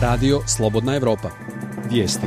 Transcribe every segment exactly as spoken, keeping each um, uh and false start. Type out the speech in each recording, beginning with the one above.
Radio Slobodna Evropa. Vijesti.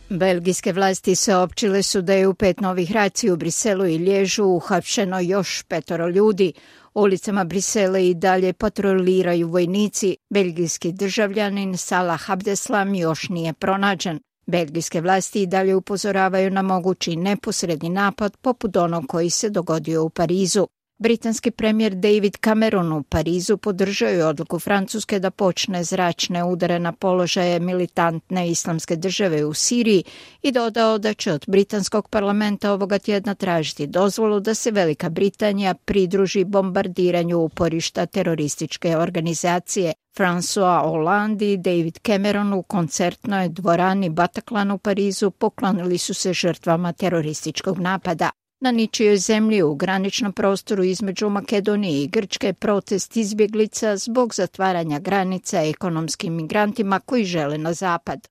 Belgijske vlasti saopćile su da je u pet novih racija u Briselu i Lježu uhapšeno još petoro ljudi. Ulicama Brisela i dalje patroliraju vojnici. Belgijski državljanin Salah Abdeslam još nije pronađen. Belgijske vlasti i dalje upozoravaju na mogući neposredni napad poput onog koji se dogodio u Parizu. Britanski premijer David Cameron u Parizu podržao je odluku Francuske da počne zračne udare na položaje militantne islamske države u Siriji i dodao da će od britanskog parlamenta ovoga tjedna tražiti dozvolu da se Velika Britanija pridruži bombardiranju uporišta terorističke organizacije. François Hollande i David Cameron u koncertnoj dvorani Bataclan u Parizu poklonili su se žrtvama terorističkog napada. Na ničijoj zemlji u graničnom prostoru između Makedonije i Grčke protest izbjeglica zbog zatvaranja granica ekonomskim migrantima koji žele na zapad.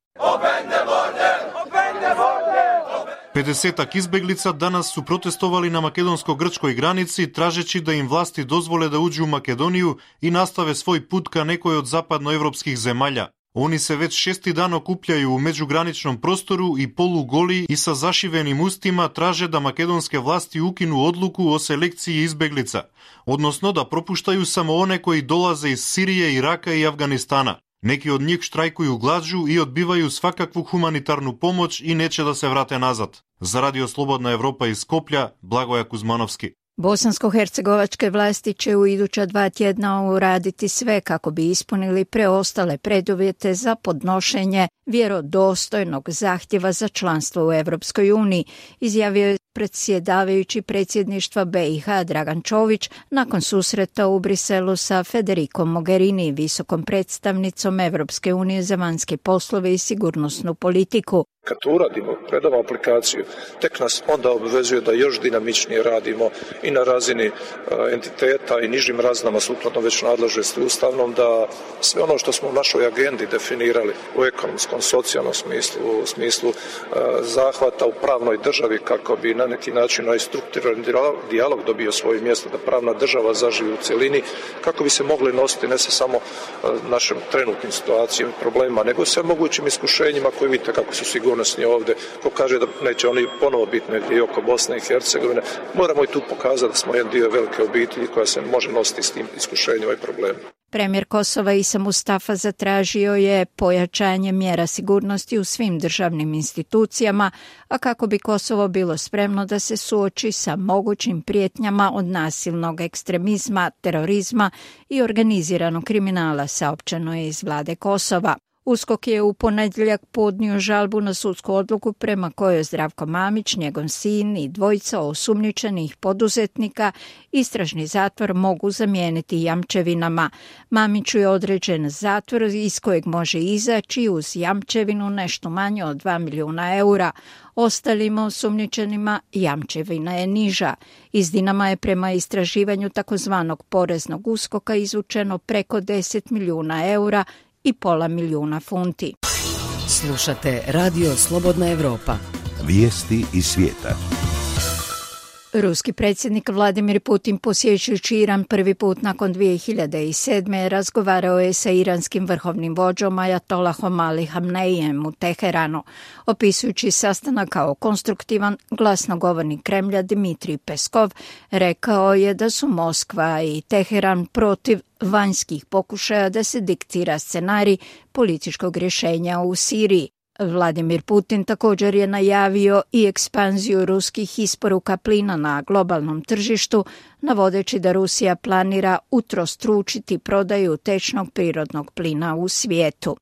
pedesetak izbjeglica danas su protestovali na makedonsko-grčkoj granici tražeći da im vlasti dozvole da uđu u Makedoniju i nastave svoj put ka nekoj od zapadnoevropskih zemalja. Oni se već šesti dan okupljaju u međugraničnom prostoru i polugoli i sa zašivenim ustima traže da makedonske vlasti ukinu odluku o selekciji izbjeglica, odnosno da propuštaju samo one koji dolaze iz Sirije, Iraka i Afganistana. Neki od njih štrajkuju glađu i odbivaju svakakvu humanitarnu pomoć i neće da se vrate nazad. Za Radio Slobodna Evropa iz Skoplja, Blagoja Kuzmanovski. Bosansko-hercegovačke vlasti će u iduća dva tjedna uraditi sve kako bi ispunili preostale preduvjete za podnošenje vjerodostojnog zahtjeva za članstvo u Europskoj uniji, izjavio je predsjedavajući predsjedništva B i H Dragan Čović nakon susreta u Briselu sa Federikom Mogherini, visokom predstavnicom Europske unije za vanjske poslove i sigurnosnu politiku. Kad to uradimo, predamo aplikaciju, tek nas onda obvezuje da još dinamičnije radimo i na razini entiteta i nižim razinama sukladno već nadležnosti ustavnom, da sve ono što smo u našoj agendi definirali u ekonomskom, socijalnom smislu, u smislu uh, zahvata u pravnoj državi kako bi na neki način ovaj strukturalni dijalog dobio svoje mjesto, da pravna država zaživi u cjelini, kako bi se mogli nositi ne se samo uh, našim trenutnim situacijama i problemima, nego sve mogućim iskušenjima koji vidite kako su sigurni ovdje, ko kaže da neće oni ponovo biti negdje oko Bosne i Hercegovine. Moramo i tu pokazati da smo jedan dio velike obitelji koja se može nositi s tim iskušenjima i problemima. Premijer Kosova Isa Mustafa zatražio je pojačanje mjera sigurnosti u svim državnim institucijama, a kako bi Kosovo bilo spremno da se suoči sa mogućim prijetnjama od nasilnog ekstremizma, terorizma i organiziranog kriminala, saopćeno je iz vlade Kosova. USKOK je u ponedjeljak podnio žalbu na sudsku odluku prema kojoj Zdravko Mamić, njegov sin i dvojica osumnjičenih poduzetnika istražni zatvor mogu zamijeniti jamčevinama. Mamiću je određen zatvor iz kojeg može izaći uz jamčevinu nešto manje od dva milijuna eura. Ostalim osumnjičenima jamčevina je niža. Iz Dinama je prema istraživanju takozvanog poreznog uskoka izvučeno preko deset milijuna eura i pola milijuna funti. Slušate Radio Slobodna Evropa. Vijesti iz svijeta. Ruski predsjednik Vladimir Putin, posjećujući Iran prvi put nakon dvije hiljade sedme. razgovarao je sa iranskim vrhovnim vođom Ajatolahom Ali Hamneijem u Teheranu. Opisujući sastanak kao konstruktivan, glasnogovornik Kremlja Dmitrij Peskov rekao je da su Moskva i Teheran protiv vanjskih pokušaja da se diktira scenarij političkog rješenja u Siriji. Vladimir Putin također je najavio i ekspanziju ruskih isporuka plina na globalnom tržištu, navodeći da Rusija planira utrostručiti prodaju tečnog prirodnog plina u svijetu.